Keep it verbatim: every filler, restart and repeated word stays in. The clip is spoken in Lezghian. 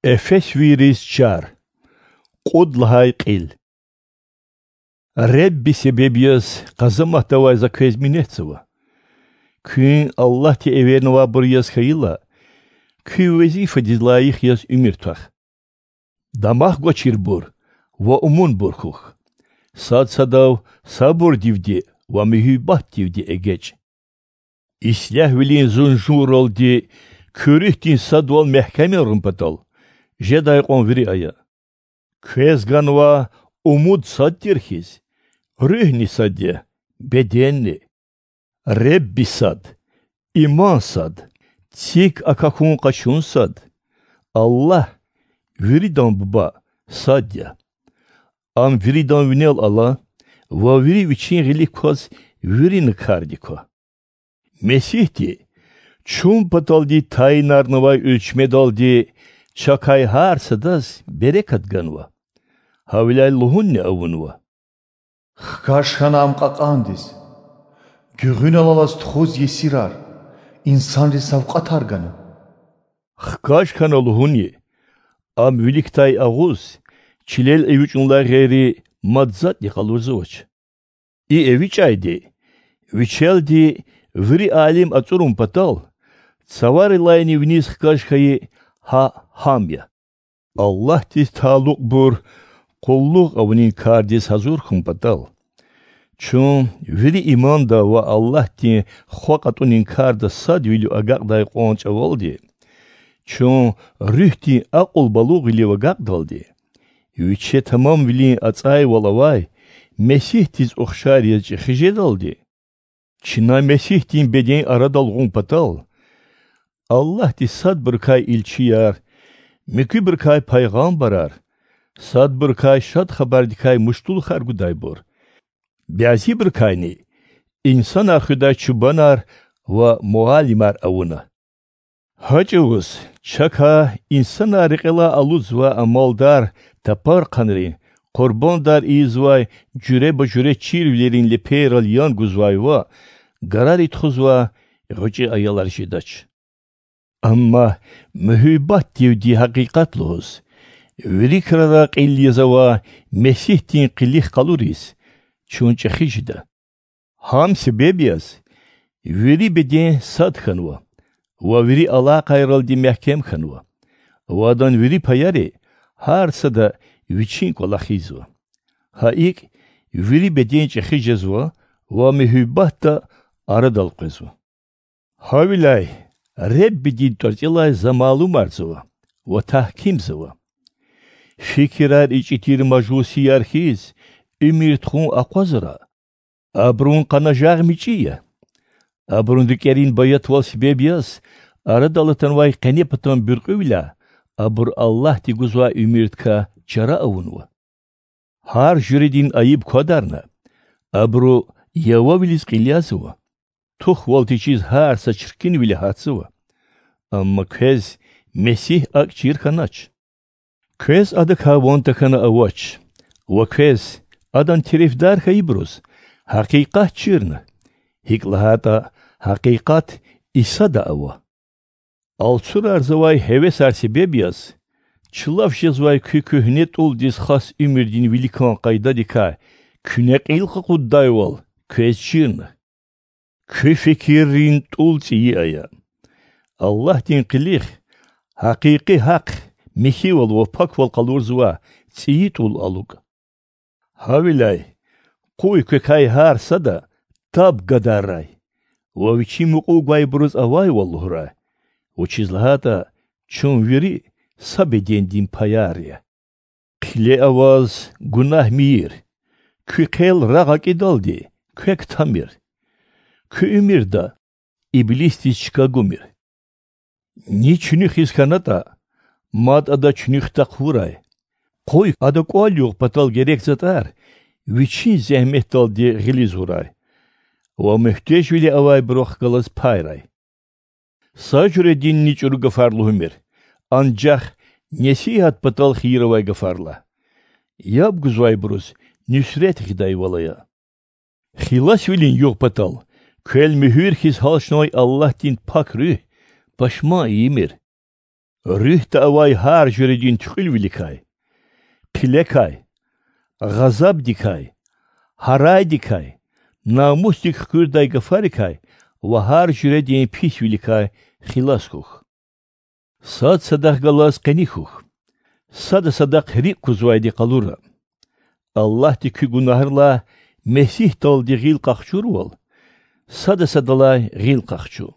Эфесвийриз чар. Кьуд лагьай кьил. Ребби себеб яз къазаматда авай за квез минетзава. Куьн Аллагьди эвернавайбур яз хьайила, куь везифадиз лайих яз уьмуьр твах. Дамах гвачирбур ва умунбур хьухь. Сад садав сабурдивди ва муьгьуьббатдивди эгечӀ. Ислягьвилин зунжурралди куь руьгьдин садвал мягькемарун патал жедай кьван вири ая. Квез ганва умуд сад тир хьиз, руьгьни сад я, беденни. Ребби сад, иман сад, цик акахьун-къачун сад. Аллагь, виридан Буба, сад я. Ам виридан винел ала ва вири вичин гъилик кваз вирина кардик ква. Месигьди чун паталди тайинарнавай уьлчмедалди чакай гьар садаз берекат ганва. Гьавиляй лугьунни авунва: Хкаж хьана ам кьакьандиз, гуьгъуьнал алаз тухуз есирар, инсанриз савкьватар гана. Хкаж хьана лугьунни: Ам виликдай агъуз, чилел эвичӀунилай гъейри мад затӀни къалурзавач. И эвичӀайди, вичелди вири алим ацӀурун патал, цаварилайни виниз хкаж хьайи гьа гьам я. Аллагьдиз талукьбур къуллугъ авунин кардиз гьазур хьун патал, чун вири иманда ва Аллагьдин хва кьатӀунин карда садвилив агакьдай кьван чӀавалди, чун руьгьдин акьул балугъвилив агакьдалди, виче тамамвилин ацӀайвал авай Месигьдиз ухшар яз чӀехи жедалди, чна Месигьдин беден арадал гъун патал, Аллагьди садбурукай илчияр, муькуьбурукай пайгъамбарар, садбурукай Шад Хабардикай муштулухар гудайбур, бязибурукайни инсанар хуьдай чубанар ва муаллимар авуна. Гьа чӀавуз чакай инсанар рекьелай алудзавай амалдар, тапархъанрин, къурбандар ийизвай жуьреба-жуьре чирвилерин лепейрал ян гузвай ва гарари тухузвай гъвечӀи аялар жедач. Амма муьгьуьббатдивди гьакъикъат лугьуз, вири крарай кьил яз авай Месигьдин къилих къалуриз чун чӀехи жеда. Гьам себеб яз вири беден сад хьанва ва вири алакъайралди мягькем хьанва, ва адан вири паяри гьар сада вичин кӀвалах ийизва. Гьа икӀ, вири беден чӀехи жезва ва муьгьуьббатда арадал къвезва. Гьавиляй Реббидин тӀварцӀелай за малумарзава ва тагькимзава: фикирар ичӀи тир мажусияр хьиз уьмуьр тухун акъвазара, абурун къанажагъ мичӀи я. Абурун рикӀерин баятвал себеб яз арадал атанвай къенепатан буьркьуьвиляй абур Аллагьди гузвай уьмуьрдикай чара авунва. Гьар жуьредин айиб квадарна, абуру явавилиз кьиле язава, тухвал течиз гьар са чиркинвиле гьатзава. Амма квез Месигь акӀ чир хьанач. Квез Адакай ван тахьана авач, ва квез, Адан терефдар хьайибуруз, гьакъикъат чирна, гьикӀ лагьайтӀа гьакъикъат Исада ава. Алцурарзавай гьевесар себеб яз, чулав жезвай куь куьгьне тӀулдиз хас уьмуьрдин виликан къайдадикай куьне кьил къакъуддайвал квез чирна. Куь фикиррин тӀул цӀийи ая. Аллагьдин къилих, гьакъикъи гьахъ, михьивал ва паквал къалурзавай цӀийи тӀул алукӀ. Гьавиляй къуй квекай гьар сада таб гадаррай ва вичи мукьув гвайбуруз авайвал лугьурай, вучиз лагьайтӀа чун вири са бедендин паяр я. Хъиле аваз гунагь мийир, куь хъел рагъ акӀидалди квек тамир, куь уьмуьрда иблисдиз чка гумир. Ни чуьнуьхиз хьанатӀа, мад ада чуьнуьхда хъувурай. Къуй ада кӀвал югъ патал герек затӀар вичин зегьметдалди гъилиз гъурай ва муьгьтежвиле авайбурухъ галаз пайрай. Са жуьрединни чӀуру гафар лугьумир, анжах несигьат патал хийир авай гафарилай, яб гузвайбуруз нуьсрет гъидайвал ая. Хиласвилин югъ патал квел муьгьуьр хьиз гьалчнавай Аллагьдин пак Руьгь пашман ийимир. Руьгьда авай гьар жуьредин туькьуьлвиликай, пилекай, гъазабдикай, гьарайдикай, намусдик хкуьрдай гафарикай ва гьар жуьредин писвиликай хилас хьухь. Сад садахъ галаз къени хьухь, сада садахъ рикӀ кузвайди къалура. Аллагьди куь гунагьрилай Месигьдалди гъил къахчурвал, сада садалай гъил къахчу.